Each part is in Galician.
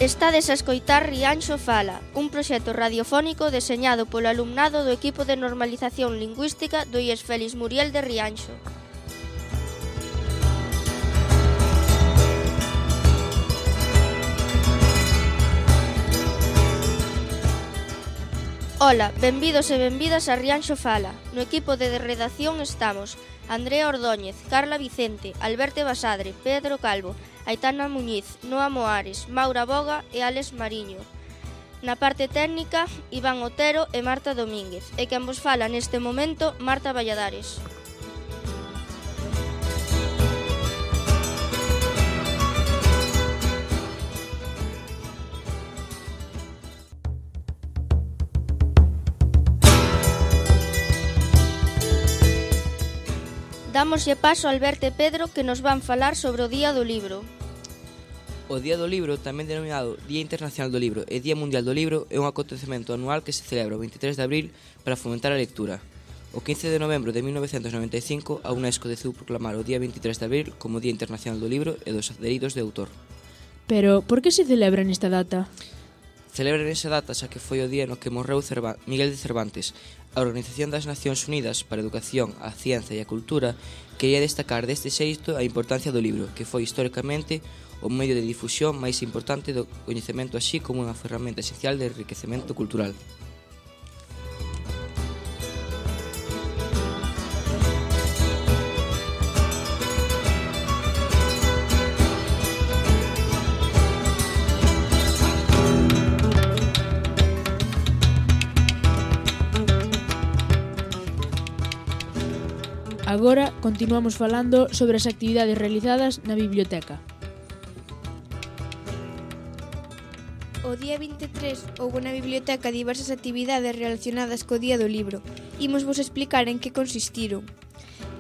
Estades a escoitar Rianxo Fala, un proxecto radiofónico deseñado polo alumnado do equipo de normalización lingüística do IES Félix Muriel de Rianxo. Ola, benvidos e benvidas a Rianxo Fala. No equipo de redacción estamos Andrea Ordóñez, Carla Vicente, Alberto Basadre, Pedro Calvo, Aitana Muñiz, Noa Moares, Maura Boga e Alex Mariño. Na parte técnica, Iván Otero e Marta Domínguez. E quen vos fala neste momento, Marta Valladares. Dámoslle paso a Alberto e Pedro que nos van falar sobre o Día do Libro. O Día do Libro, tamén denominado Día Internacional do Libro e Día Mundial do Libro, é un acontecemento anual que se celebra o 23 de abril para fomentar a lectura. O 15 de novembro de 1995, a UNESCO decidiu proclamar o día 23 de abril como Día Internacional do Libro e dos Dereitos de Autor. Pero, por que se celebra nesta data? Celebra nesa data xa que foi o día no que morreu Miguel de Cervantes. A Organización das Nacións Unidas para a Educación, a Ciencia e a Cultura quería destacar deste xeito a importancia do libro, que foi históricamente o medio de difusión máis importante do coñecemento, así como unha ferramenta esencial de enriquecemento cultural. Agora continuamos falando sobre as actividades realizadas na biblioteca. O día 23 houbo na biblioteca diversas actividades relacionadas co Día do Libro. Imos vos explicar en que consistiron.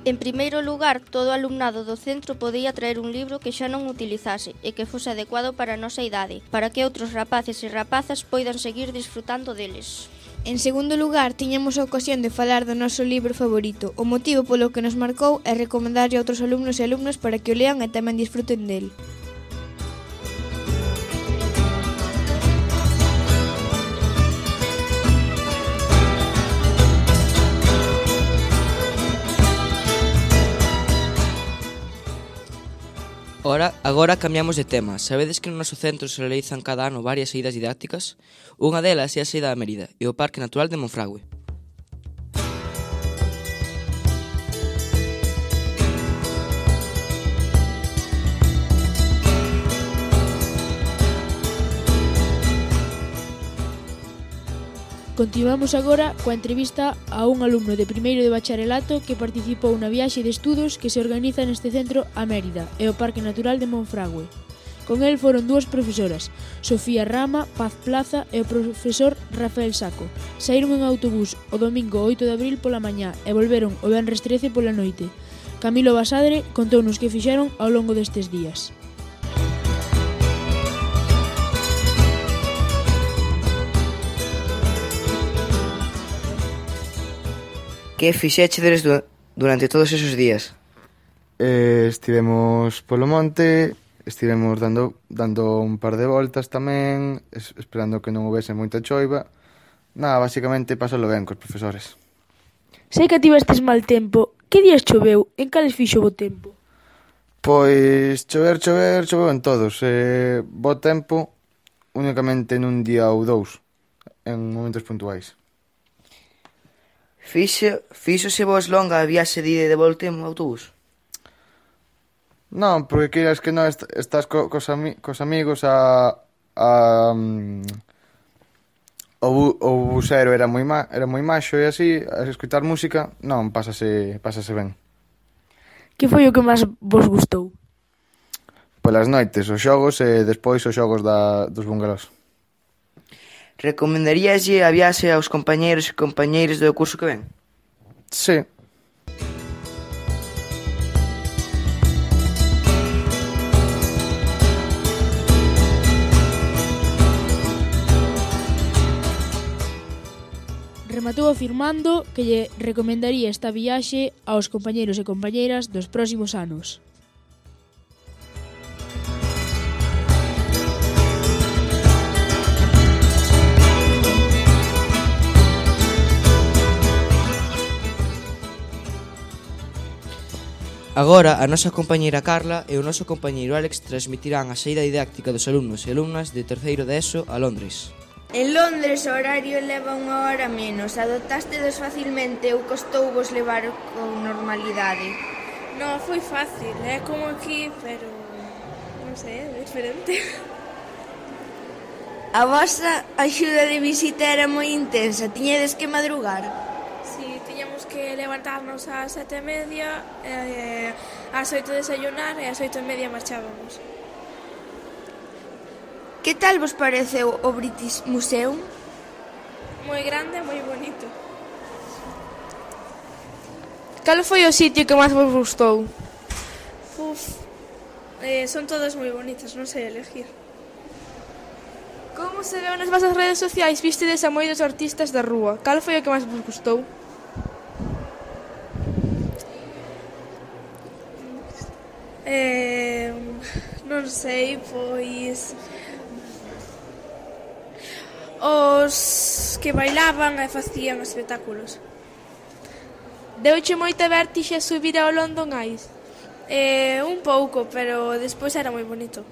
En primeiro lugar, todo o alumnado do centro podía traer un libro que xa non utilizase e que fose adecuado para a nosa idade, para que outros rapaces e rapazas poidan seguir disfrutando deles. En segundo lugar, tiñamos a ocasión de falar do noso libro favorito. O motivo polo que nos marcou é recomendarlle a outros alumnos e alumnas para que o lean e tamén disfruten del. Agora cambiamos de tema. Sabedes que no noso centro se realizan cada ano varias saídas didácticas? Unha delas é a saída a Mérida e o Parque Natural de Monfragüe. Continuamos agora coa entrevista a un alumno de primeiro de bacharelato que participou na viaxe de estudos que se organiza neste centro a Mérida e o Parque Natural de Monfragüe. Con el foron dúas profesoras, Sofía Rama, Paz Plaza e o profesor Rafael Saco. Saíron en autobús o domingo 8 de abril pola mañá e volveron o venres 13 pola noite. Camilo Basadre contounos que fixeron ao longo destes días. Que fixéchedes durante todos esos días? Estivemos polo monte, estivemos dando un par de voltas tamén, esperando que non houvese moita choiva. Nada, basicamente pasalo ben cos profesores. Sei que tivestes mal tempo. Que días choveu? En cales fixo bo tempo? Pois choveu en todos. Bo tempo únicamente nun día ou dous, en momentos puntuais. Fíxose vos longa a viaxe de ida e de volta en autobús? Non, porque queiras que non estás cos amigos o busero era moi maxo e así, a escutar música, non, pásase ben. Que foi o que máis vos gustou? Polas noites, os xogos e despois os xogos dos bungalós. Recomendaríaslle a viaxe aos compañeiros e compañeiras do curso que ven? Sí. Rematou afirmando que lle recomendaría esta viaxe aos compañeiros e compañeiras dos próximos anos. Agora, a nosa compañeira Carla e o noso compañeiro Alex transmitirán a saída didáctica dos alumnos e alumnas de terceiro de ESO a Londres. En Londres o horario leva 1 hora menos. Adoptástedes facilmente ou costouvos levar con normalidade? Non, foi fácil, é como aquí, pero non sei, é diferente. A vosa axuda de visita era moi intensa, tiñedes que madrugar? Si, tiñamos que levantarnos ás 7:30, ás 8 desayunar e ás 8:30 marchábamos. Que tal vos pareceu o British Museum? Moi grande e moi bonito. Cal foi o sitio que máis vos gustou? Son todas moi bonitas, non sei elegir. Como se veu nas vosas redes sociais, vistedes a moitos artistas da rúa. Cal foi o que máis vos gustou? Non sei, pois os que bailaban e facían espectáculos. Deuche moita vértixe subir ao London Eye? Un pouco, pero despois era moi bonito.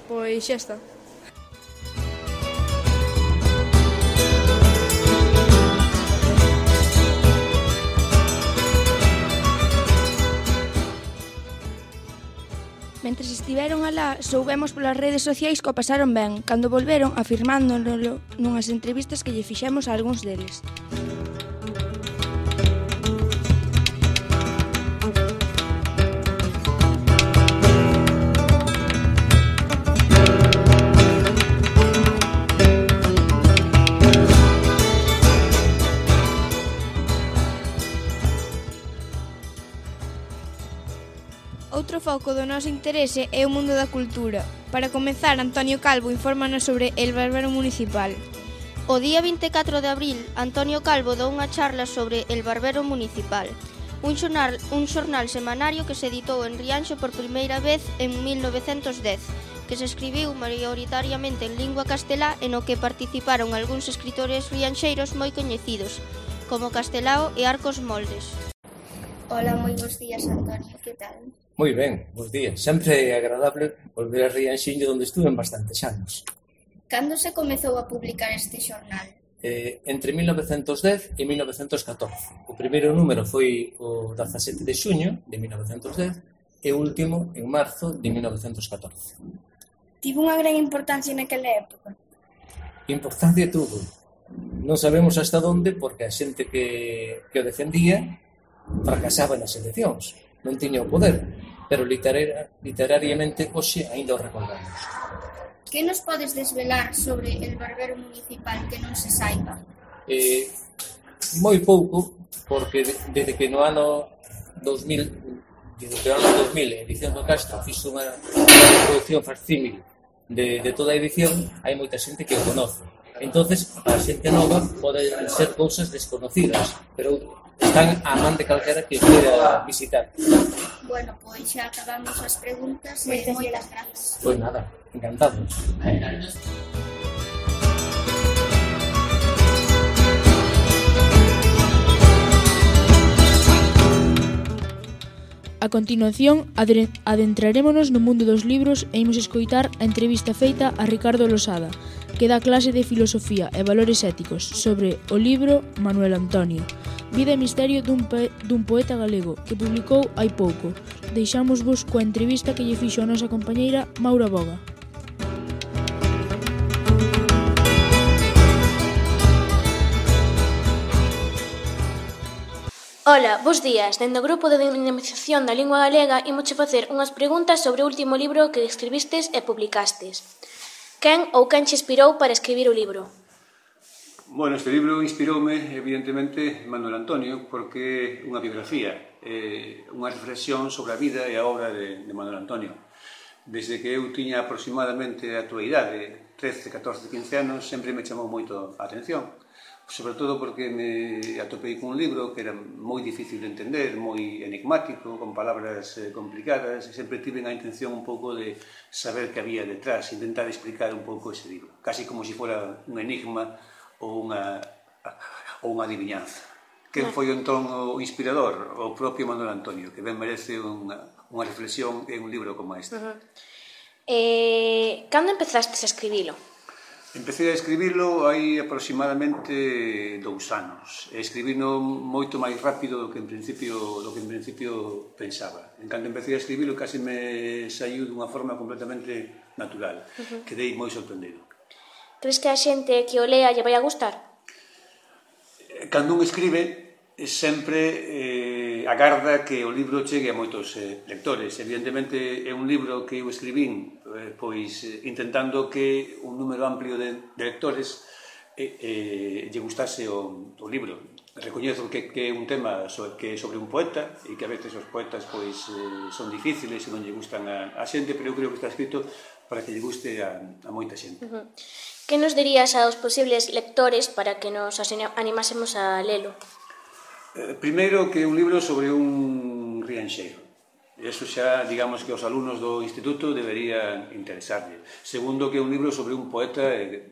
Pois xa está. Mentres estiveron alá, soubemos polas redes sociais que o pasaron ben, cando volveron afirmándolo nunhas entrevistas que lle fixemos a algúns deles. Outro foco do noso interese é o mundo da cultura. Para comezar, Antonio Calvo infórmanos sobre El Barbero Municipal. O día 24 de abril, Antonio Calvo dou unha charla sobre El Barbero Municipal, un xornal semanario que se editou en Rianxo por primeira vez en 1910, que se escribiu maioritariamente en lingua castelá e no que participaron algúns escritores rianxeiros moi coñecidos, como Castelao e Arcos Moldes. Hola, moi bons días, Antonio, que tal? Moi ben, bons días. Sempre é agradable volver a Rianxiño, onde estuve en bastantes anos. Cando se comezou a publicar este xornal? Entre 1910 e 1914. O primeiro número foi o 17 de xuño de 1910 e o último en marzo de 1914. Tivo unha gran importancia naquela época? Importancia tuvo. Non sabemos hasta onde, porque a xente que o defendía fracasaba nas eleccións. Non tiña o poder, pero literariamente hoxe aínda o recordamos. Que nos podes desvelar sobre El Barbero Municipal que non se saiba? Moi pouco, porque desde que no ano 2000, Edición do Castro fixo unha produción facsímil de toda a edición, hai moita xente que o conoce. Entonces, a xente nova pode ser cousas desconocidas, pero están á man de calquera que queira visitar. Bueno, pois xa acabamos as preguntas e moitas grazas. Pois nada, encantado. A continuación, adentrarémonos no mundo dos libros e imos escoitar a entrevista feita a Ricardo Losada, que dá clase de filosofía e valores éticos sobre o libro Manuel Antonio, Vida e misterio dun poeta galego, que publicou hai pouco. Deixámosvos coa entrevista que lle fixo a nosa compañeira Maura Boga. Ola, bos días. Dende o grupo de dinamización da lingua galega imos facer unhas preguntas sobre o último libro que escribistes e publicastes. Quen ou quen che inspirou para escribir o libro? Bueno, este libro inspiroume, evidentemente, Manuel Antonio, porque é unha biografía, unha reflexión sobre a vida e a obra de Manuel Antonio. Desde que eu tiña aproximadamente a túa idade, 13, 14, 15 anos, sempre me chamou moito a atención. Sobre todo porque me atopei cun libro que era moi difícil de entender, moi enigmático, con palabras complicadas, e sempre tive a intención un pouco de saber que había detrás, intentar explicar un pouco ese libro, casi como se fora un enigma ou unha adivinanza. quen foi entón o inspirador, o propio Manuel Antonio, que ben merece unha reflexión en un libro como este. Cando empezastes a escribilo? Empecé a escribilo hai aproximadamente 2 anos. Escribino moito máis rápido do que en principio pensaba. En cando empecé a escribilo casi me saiu dunha forma completamente natural. Quedei moi sorprendido. Crees que a xente que o lea lle vai a gustar? Cando un escribe, sempre agarda que o libro chegue a moitos lectores. Evidentemente é un libro que eu escribín pois intentando que un número amplio de lectores lle gustase o libro. Recoñezo que é un tema que é sobre un poeta e que a veces os poetas pois son difíciles e non lle gustan a xente, pero eu creo que está escrito para que lle guste a moita xente. Que nos dirías aos posibles lectores para que nos animásemos a lelo? Primeiro, que é un libro sobre un rianxeiro. Eso xa, digamos, que os alumnos do instituto deberían interesarlle. Segundo, que é un libro sobre un poeta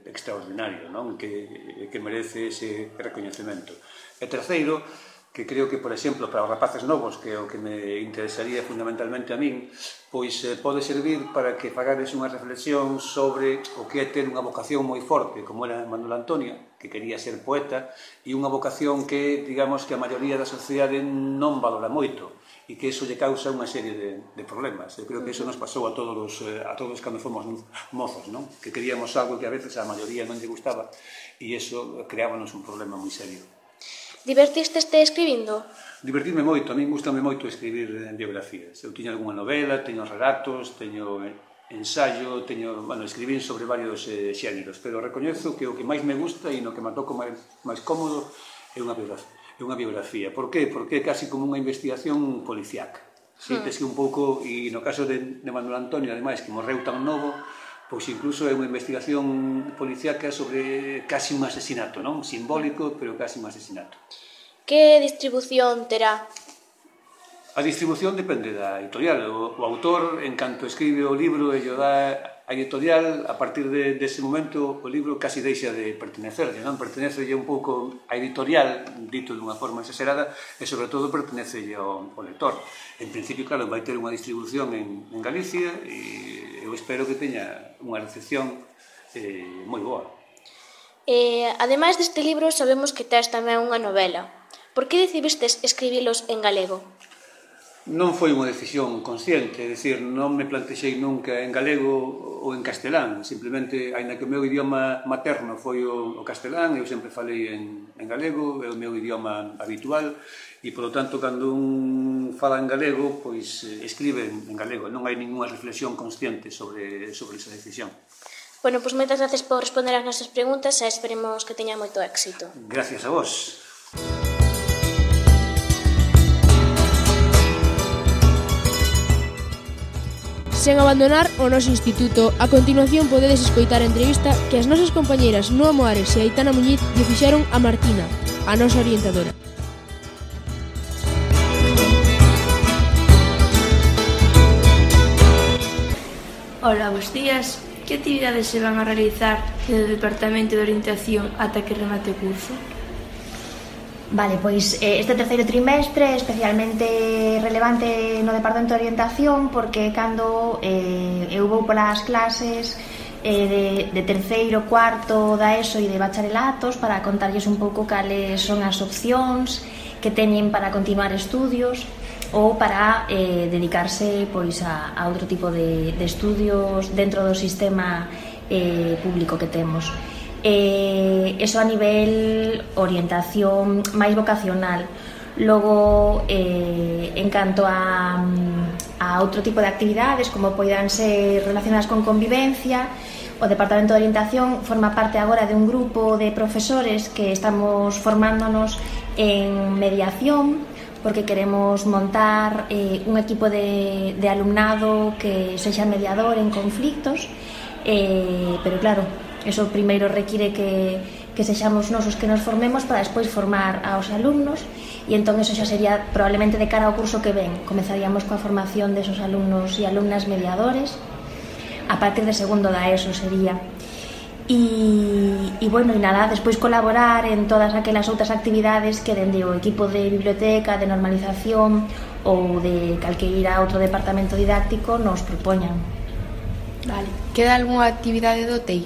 extraordinario, non? Que merece ese recoñecemento. E terceiro, que creo que, por exemplo, para os rapaces novos, que é o que me interesaría fundamentalmente a min, pois pode servir para que fagades unha reflexión sobre o que é ter unha vocación moi forte, como era Manuel Antonio, que quería ser poeta, e unha vocación que, digamos, que a maioría da sociedade non valora moito, e que iso lle causa unha serie de problemas. Eu creo que iso nos pasou a todos cando fomos mozos, non? Que queríamos algo que a veces a maioría non lle gustaba, e iso creábanos un problema moi serio. Divertisteste escribindo? Divertirme moito, a min gustame moito escribir biografías. Eu tiño algunha novela, teño relatos, teño ensayo, escribín sobre varios xéneros, pero recoñezo que o que máis me gusta e no que me atoco máis cómodo é unha biografía. Por qué? Porque é casi como unha investigación policiaca. Siéntese un pouco, e no caso de Manuel Antonio, ademais, que morreu tan novo, pois incluso é unha investigación policiaca sobre casi un asesinato, non? Simbólico, pero casi un asesinato. Que distribución terá? A distribución depende da editorial. O autor, en canto escribe o libro e o dá a editorial, a partir dese momento o libro casi deixa de pertenecerlle, non? Pertenecelle un pouco a editorial, dito dunha forma exagerada, e sobre todo pertenecelle ao lector. En principio, claro, vai ter unha distribución en Galicia e eu espero que teña unha recepción moi boa. Ademais deste libro, sabemos que tes tamén unha novela. Por que decidistes escribilos en galego? Non foi unha decisión consciente, é dicir, non me plantexei nunca en galego ou en castelán, simplemente, aínda que o meu idioma materno foi o castelán, eu sempre falei en galego, é o meu idioma habitual, e, polo tanto, cando un fala en galego, pois escribe en galego, non hai ninguna reflexión consciente sobre esa decisión. Bueno, pois moitas gracias por responder as nosas preguntas e esperemos que teña moito éxito. Gracias a vos. Sen abandonar o noso instituto, a continuación podedes escoitar a entrevista que as nosas compañeiras Noa Moares e Aitana Muñiz lle fixeron a Martina, a nosa orientadora. Hola, bons días. Que actividades se van a realizar no Departamento de Orientación ata que remate o curso? Vale, pois este terceiro trimestre é especialmente relevante no Departamento de Orientación porque cando eu vou polas clases de terceiro, cuarto da ESO e de bacharelatos para contarlles un pouco cales son as opcións que teñen para continuar estudios ou para dedicarse pois a outro tipo de estudios dentro do sistema público que temos. Eso a nivel orientación máis vocacional. Logo, en canto a outro tipo de actividades como poidan ser relacionadas con convivencia, o Departamento de Orientación forma parte agora de un grupo de profesores que estamos formándonos en mediación porque queremos montar un equipo de alumnado que sexa mediador en conflictos, pero claro, eso primeiro require que sexamos nosos que nos formemos para despois formar aos alumnos e entón eso xa sería probablemente de cara ao curso que ven. Comezaríamos coa formación desos alumnos e alumnas mediadores a partir de segundo da ESO sería. E bueno, e nada, despois colaborar en todas aquelas outras actividades que dende o equipo de biblioteca, de normalización ou de calqueira outro departamento didáctico nos propoñan. Vale. Queda algunha actividade do TEI?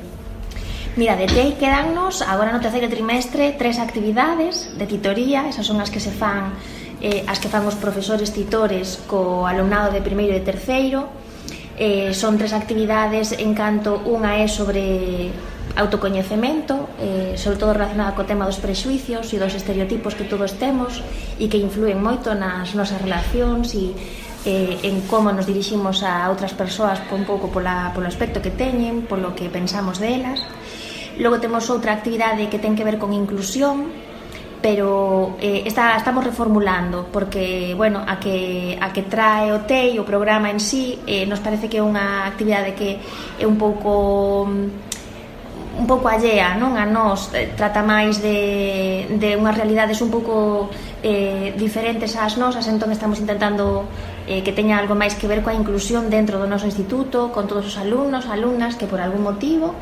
Mira, de TEI quedannos agora no terceiro trimestre 3 actividades de titoría, esas son as que se fan as que fan os profesores titores co alumnado de primeiro e de terceiro. Son 3 actividades en canto unha é sobre autocoñecemento, sobre todo relacionada co tema dos prexuicios e dos estereotipos que todos temos e que influen moito nas nosas relacións e en como nos diriximos a outras persoas un pouco polo aspecto que teñen, polo que pensamos delas. Logo temos outra actividade que ten que ver con inclusión, pero estamos reformulando porque, bueno, a que trae o TEI, o programa en sí, nos parece que é unha actividade que é un pouco allea, non? A nós, trata máis de unhas realidades un pouco diferentes ás nosas, entón estamos intentando que teña algo máis que ver coa inclusión dentro do noso instituto, con todos os alumnos, alumnas que por algún motivo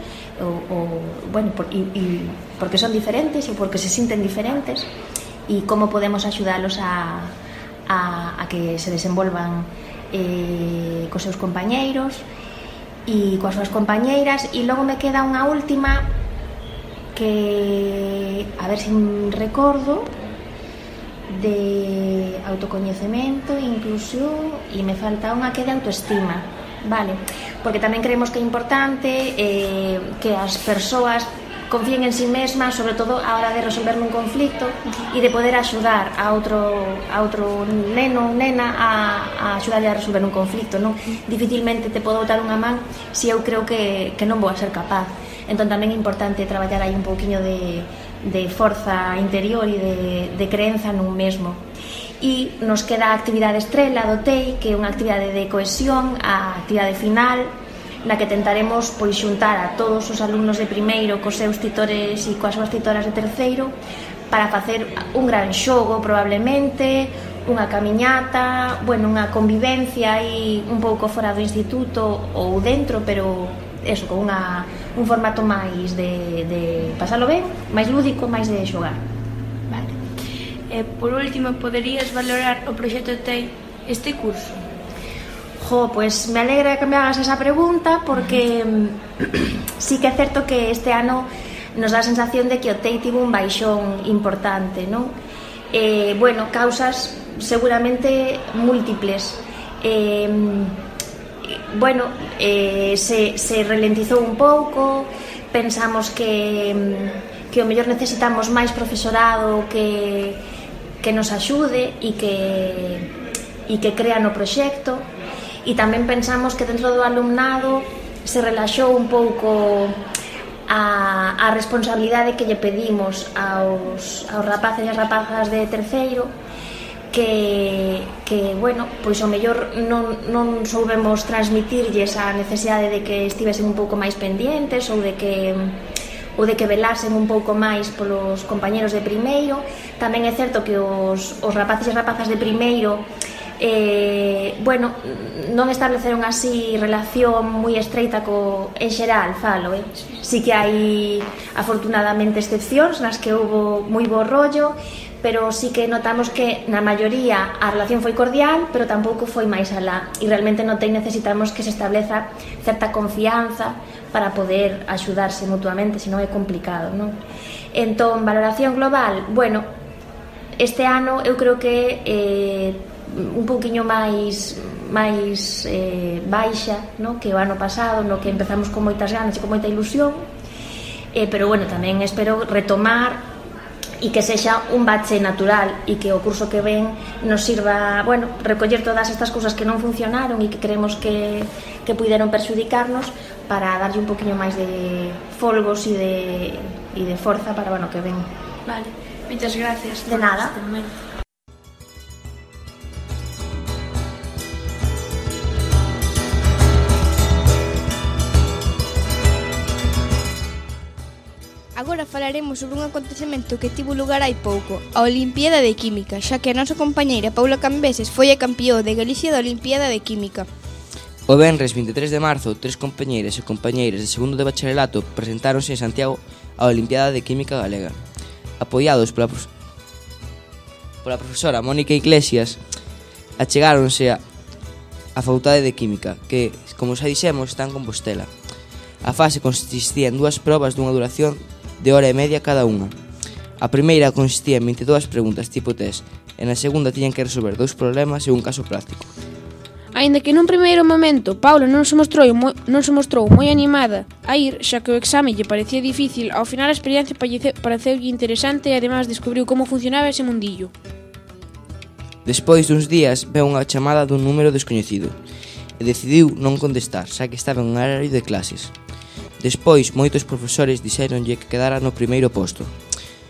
porque son diferentes e porque se sinten diferentes, e como podemos axudalos a que se desenvolvan cos seus compañeiros e coas súas compañeiras. E logo me queda unha última que, a ver se recordo, de autocoñecemento, inclusión, e me falta unha que de autoestima, vale? Porque tamén creemos que é importante que as persoas confíen en sí mesmas, sobre todo a hora de resolver un conflicto e de poder axudar a outro neno ou nena a axudarle a resolver un conflicto, non? Dificilmente te podo botar unha man se eu creo que non vou a ser capaz. Entón tamén é importante traballar aí un pouquiño de forza interior e de creenza nun mesmo. E nos queda a actividade estrela do TEI, que é unha actividade de cohesión, a actividade final, na que tentaremos pois xuntar a todos os alumnos de primeiro cos seus titores e coas súas titoras de terceiro para facer un gran xogo, probablemente, unha camiñata, bueno, unha convivencia aí un pouco fora do instituto ou dentro, pero eso, con un formato máis de pasalo ben, máis lúdico, máis de xogar. Vale. Por último, poderías valorar o proxecto TEI este curso? Pois me alegra que me hagas esa pregunta porque sí que é certo que este ano nos dá a sensación de que o TEI tivo un baixón importante, non? Bueno, causas seguramente múltiples. Bueno, se ralentizou un pouco, pensamos que o mellor necesitamos máis profesorado que nos axude e que crea no proxecto, e tamén pensamos que dentro do alumnado se relaxou un pouco a responsabilidade que lle pedimos aos rapaces e as rapazas de terceiro, que bueno, pois o mellor non soubemos transmitirlles a necesidade de que estivesen un pouco máis pendientes ou de que velasen un pouco máis polos compañeros de primeiro. Tamén é certo que os rapaces e rapazas de primeiro bueno, non estableceron así relación moi estreita en xeral, falo, sí que hai afortunadamente excepcións nas que houbo moi bo rollo, pero sí que notamos que na maioría a relación foi cordial, pero tampouco foi máis alá, e realmente no TEI necesitamos que se estableza certa confianza para poder axudarse mutuamente, senón é complicado, non? Entón, valoración global, bueno, este ano eu creo que un pouquiño máis baixa, no? Que o ano pasado, no que empezamos con moitas ganas e con moita ilusión, pero bueno, tamén espero retomar e que sexa un bache natural e que o curso que ven nos sirva, bueno, recoller todas estas cousas que non funcionaron e que creemos que puideron perxudicarnos para darlle un poquinho máis de folgos e de forza para o ano que ven. Vale, moitas gracias. De nada. Agora falaremos sobre un acontecemento que tivo lugar hai pouco, a Olimpiada de Química, xa que a nosa compañeira Paula Cambeses foi a campió de Galicia da Olimpiada de Química. O venres 23 de marzo, 3 compañeiras e compañeiros de segundo de bacharelato presentáronse en Santiago á Olimpiada de Química Galega. Apoiados pola profesora Mónica Iglesias, achegáronse á Facultade de Química, que, como xa dixemos, está en Compostela. A fase consistía en 2 probas dunha duración de hora e media cada unha. A primeira consistía en 22 preguntas tipo test, e na segunda tiñan que resolver 2 problemas e un caso práctico. Aínda que nun primeiro momento Paula non se mostrou moi animada a ir, xa que o exame lle parecía difícil, ao final a experiencia pareceulle interesante e ademais descubriu como funcionaba ese mundillo. Despois duns días veu unha chamada dun número descoñecido e decidiu non contestar, xa que estaba en un horario de clases. Despois, moitos profesores dixéronlle que quedara no primeiro posto,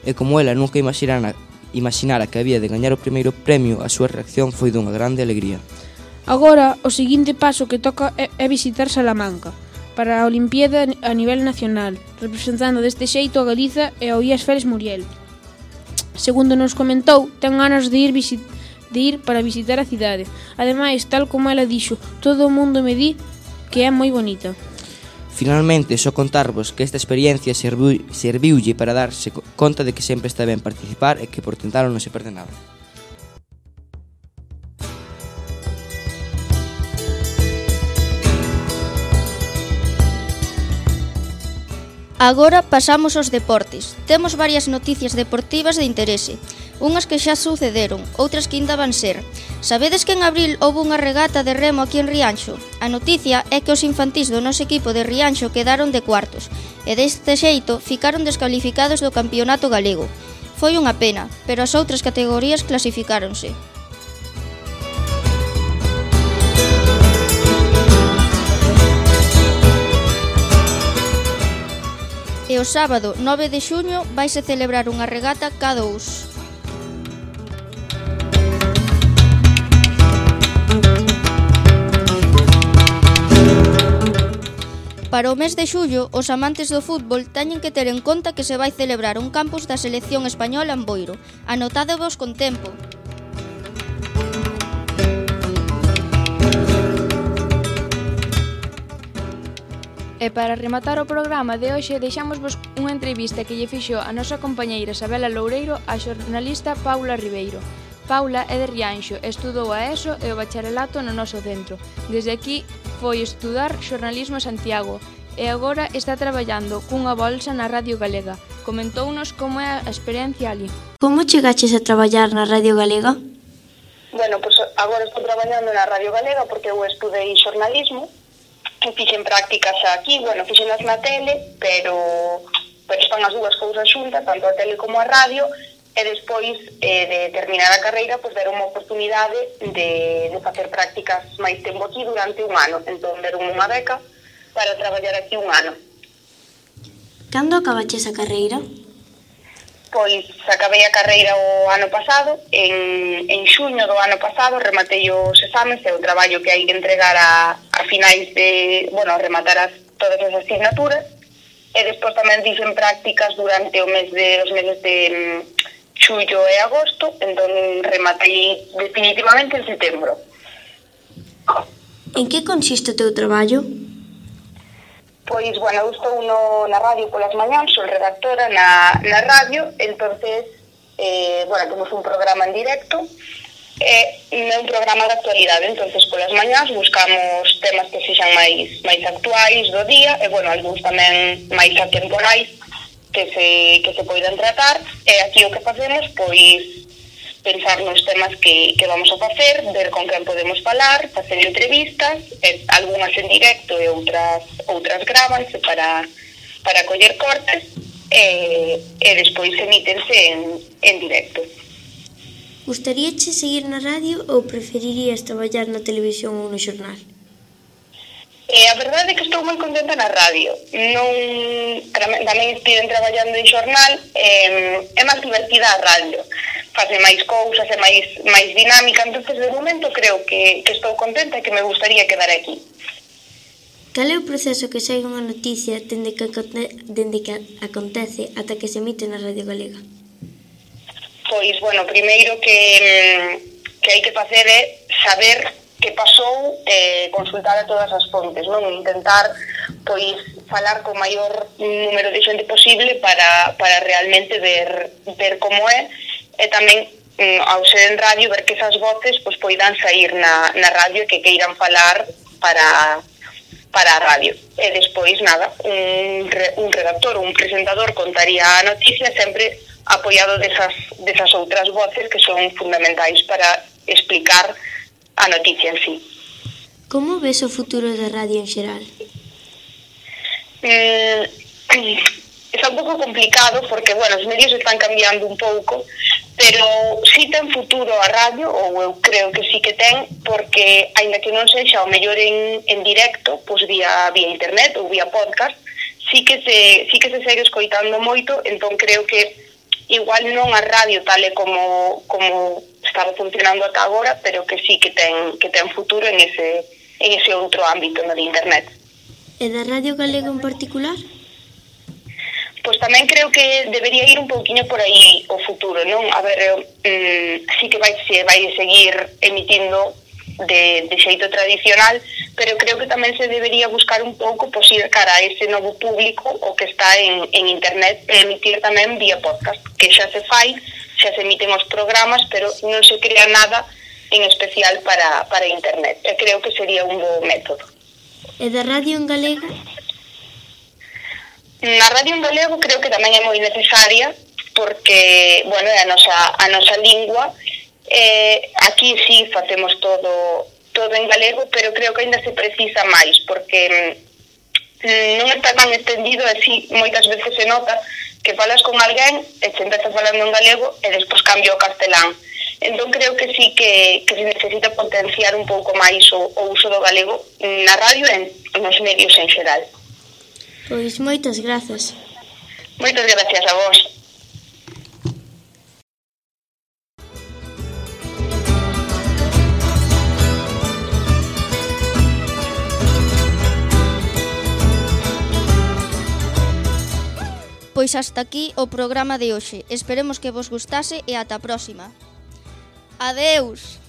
e como ela nunca imaginara que había de gañar o primeiro premio, a súa reacción foi dunha grande alegría. Agora, o seguinte paso que toca é visitar Salamanca para a Olimpiada a nivel nacional, representando deste xeito a Galiza e ao IES Félix Muriel. Segundo nos comentou, ten ganas de ir para visitar a cidade. Ademais, tal como ela dixo, todo o mundo me di que é moi bonita. Finalmente, só contarvos que esta experiencia serviulle para darse conta de que sempre está ben participar e que por tentalo non se perde nada. Agora pasamos aos deportes. Temos varias noticias deportivas de interese. Unhas que xa sucederon, outras que ainda van ser. Sabedes que en abril houve unha regata de remo aquí en Rianxo? A noticia é que os infantís do noso equipo de Rianxo quedaron de cuartos, e deste xeito ficaron descalificados do campeonato galego. Foi unha pena, pero as outras categorías clasificáronse. E o sábado 9 de xuño vaise celebrar unha regata K2. Para o mes de xullo, os amantes do fútbol teñen que ter en conta que se vai celebrar un campus da selección española en Boiro. Anotádevos con tempo. E para rematar o programa de hoxe deixámosvos unha entrevista que lle fixo a nosa compañeira Sabela Loureiro á xornalista Paula Ribeiro. Paula é de Rianxo, estudou a ESO e o bacharelato no noso centro. Desde aquí foi estudar xornalismo a Santiago e agora está traballando cunha bolsa na Radio Galega. Comentounos como é a experiencia ali. Como chegaches a traballar na Radio Galega? Bueno, pois agora estou traballando na Radio Galega porque eu estudei xornalismo. Fixen prácticas aquí, fixenas na tele, pero están as dúas cousas xuntas, tanto a tele como a radio, e despois de terminar a carreira, deron unha oportunidade de facer prácticas máis tempo aquí durante un ano. Entón, deron unha beca para traballar aquí un ano. Cando acabaches a carreira? Pois acabei a carreira o ano pasado, en xuño do ano pasado rematei os exames, é o traballo que hai que entregar a finais de, rematar todas as asignaturas, e despois tamén dixen prácticas durante os meses de xullo e agosto, entón rematei definitivamente en setembro. En que consiste o teu traballo? Pois, eu estou na radio polas mañáns, sou redactora na radio, entonces, temos un programa en directo, é un programa de actualidade, entonces polas mañáns buscamos temas que sexan máis actuais do día, e, algúns tamén máis atemporais que se poidan tratar, e aquí o que facemos, pois, pensar nos temas que vamos a facer, ver con quen podemos falar, facer entrevistas, algunhas en directo e outras grábanse para coller cortes e despois emítense en directo. Gustaríache seguir na radio ou preferirías traballar na televisión ou no xornal? A verdade é que estou moi contenta na radio. Tamén estive traballando en xornal, é máis divertida a radio. Fase máis cousas, é máis dinámica, entonces de momento creo que estou contenta e que me gustaría quedar aquí. Cal é o proceso que segue unha noticia dende que acontece ata que se emite na Radio Galega? Pois, primeiro que hai que facer é saber pasou, consultar a todas as fontes, non? Intentar pois falar co maior número de xente posible para realmente ver como é, e tamén ao ser en radio ver que esas voces pois poidan sair na radio e que queiran falar para a radio. E despois, nada, un redactor ou un presentador contaría a noticia sempre apoiado desas outras voces que son fundamentais para explicar a noticia en sí. Como ves o futuro da radio en xeral? Está un pouco complicado porque, bueno, os medios están cambiando un pouco, pero sí ten futuro a radio, ou eu creo que sí que ten, porque, aínda que non sexa o mellor en directo, pois vía internet ou vía podcast, sí que se segue escoitando moito, entón creo que igual non a radio tal e como estaba funcionando ata agora, pero que sí que ten futuro en ese outro ámbito, no de internet. E da radio galega en particular? Pois tamén creo que debería ir un pouquiño por aí o futuro, non? A ver, sí que vai seguir emitindo de xeito tradicional, pero creo que tamén se debería buscar un pouco pois ir cara a ese novo público o que está en internet e emitir tamén vía podcast, que xa se fai, xa se emiten os programas, pero non se crea nada en especial para internet. E creo que sería un bo método. E da radio en galego? Na radio en galego creo que tamén é moi necesaria porque, bueno, é a nosa lingua. Aquí sí facemos todo en galego, pero creo que ainda se precisa máis porque non está tan extendido, así moitas veces se nota que falas con alguén e se empeza falando en galego e despois cambia o castelán. Entón creo que sí que se necesita potenciar un pouco máis o uso do galego na radio e nos medios en xeral. Pois moitas grazas. Moitas gracias a vos. Pois hasta aquí o programa de hoxe. Esperemos que vos gustase e ata a próxima. Adeus!